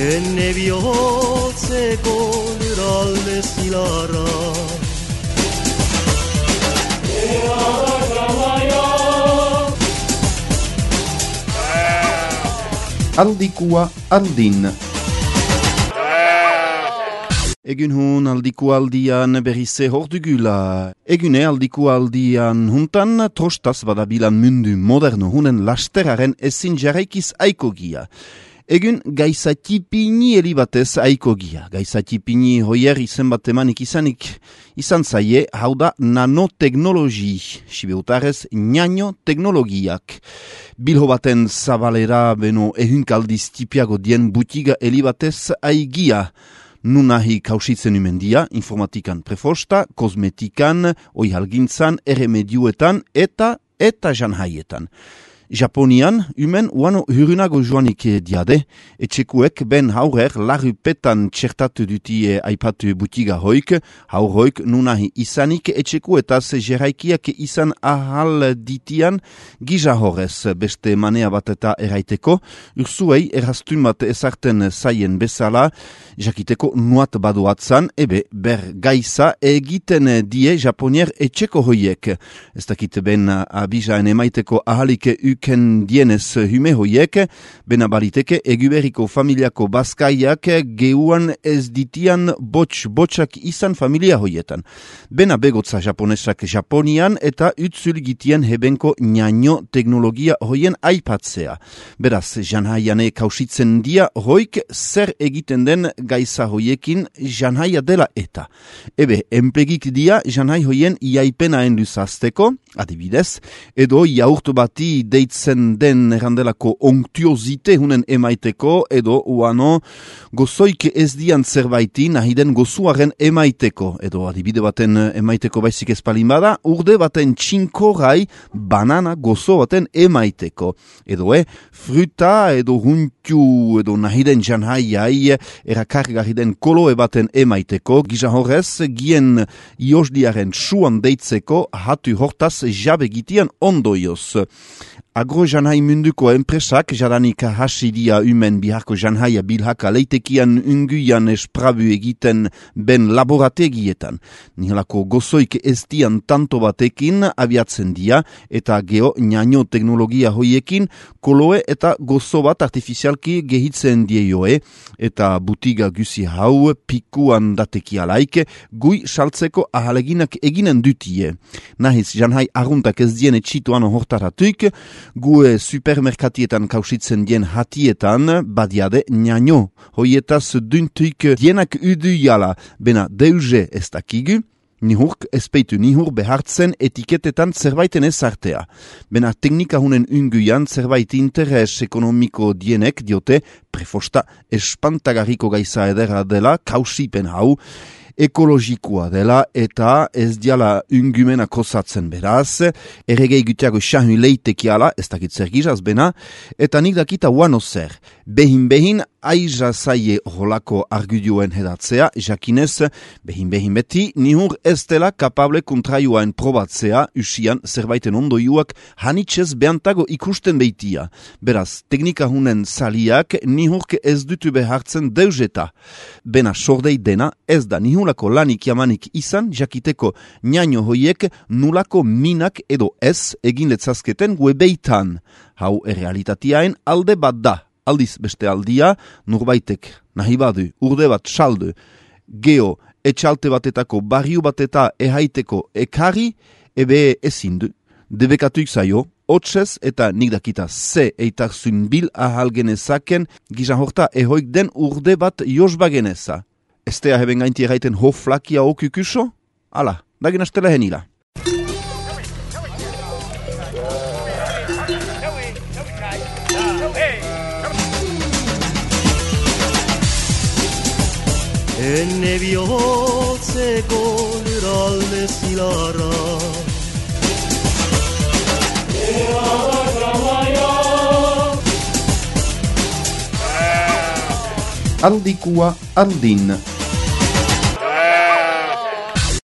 ene bihotzeko lurralde zilarra. Aldikua aldin. Egun hun aldikua aldian berrize hordugula. Egune aldikua aldian huntan trostaz badabilan mundu moderno hunen lasteraren ezin jarraikiz aikogia. Egun gaizatipini elibatez aikogia. Gaizatipini hoier izen bat emanik izan zaie, hau da nanoteknologi, sibeutarez nanoteknologiak. Bilho baten zabalera beno ehunkaldiz tipiago dien butiga elibatez aigia. Nunahi kausitzen umendia, informatikan prefosta, kosmetikan, oihalgintzan, erremedioetan eta janhaietan. Japonian, umen uano hurunago joanik diade, etxekuek ben haurer larrupetan txertatu dutie aipatu butiga hoik, haurroik nunahi izanik etxekuetaz jeraikiak izan ahal ditian giza horrez beste manea bat eta eraiteko, urzuei errastun bat ezarten zaien bezala, jakiteko nuat baduatzan, ber gaiza egiten die Japonier etxeko hoiek. Ez dakit ben abizaen emaiteko ahalik uken dienez hume hoiek, bena baliteke eguberiko familiako bazkaiak geuan ez ditian botxak izan familia hoietan. Bena begotza japonesak Japonian eta utzul gitien hebenko nano teknologia hoien aipatzea. Beraz, janhaiane kausitzen dia hoik zer egiten den gaiza hoiekin janhaia dela eta. Enpegik dia janhai hoien iaipenaen luzazteko, adibidez, edo jaurtu bati deitzen den errandelako onktiozite hunen emaiteko, edo uano gozoik ez dian zerbaiti nahiden gozuaren emaiteko, edo adibide baten emaiteko baizik ezpalin bada, urde baten txinkorai banana gozo baten emaiteko, edo fruta edo huntiu edo nahiden janhaiai erakargarri den koloe baten emaiteko, giza horrez, gien iosdiaren suan deitzeko hatu hortaz jabe gitian ondoioz. Agro janhai munduko enpresak jadanik hasidia umen biharko janhaia bilhaka leitekian unguian esprabu egiten ben laborategietan. Nihelako gozoik ez dian tanto batekin abiatzen dia eta geo nanoteknologia hoiekin koloe eta gozo bat artifizialki gehitzen dieioe eta butiga guzi hau pikuan datekialaik gui saltzeko ahaleginak eginen dutie. Nahiz janhai arruntak ez dien etxituan hortaratuik, gue supermerkatietan kausitzen dien hatietan badiade nano. Hoietaz duntuik dienak uduiala, bena deuze ez dakigu, nihurk espeitu nihur behartzen etiketetan zerbaiten ezartea. Bena teknika hunen unguian zerbait interes ekonomiko dienek diote prefosta espantagarriko gaiza edera dela kausipen hau, ekologikoa dela eta ez diala ungumena kosatzen beraz, erregei gutiago xahu leitekiala, ez dakit zer gizaz bena, eta nik dakita uano zer. Behin aiza zaie holako argudioen hedatzea, jakinez, behin beti, nihur ez dela kapable kontraioaen probatzea, usian zerbaiten ondoiuak hanitzez behantago ikusten beitia. Beraz, teknika hunen saliak nihurk ez dutu behartzen deuzeta. Bena sordei dena ez da nihulako lanik jamanik izan, jakiteko nano hoiek nulako minak edo ez egin letzazketen webeitan. Hau errealitateaen alde bat da. Aldiz beste aldia, nurbaitek nahi badu, urde bat saldu, geo etxalte batetako barriu bat eta ehaiteko ekarri, ezindu. Debekatuik zaio, hotzez eta nik dakita ze eitarzun bil ahal genezaken, gizan horta ehoik den urde bat josba geneza. Estea heben gainti erraiten ho flakia okukuso? Ala, dagin astela henila. Ene bihotzeko lurralde zilarra. Aldikua aldin.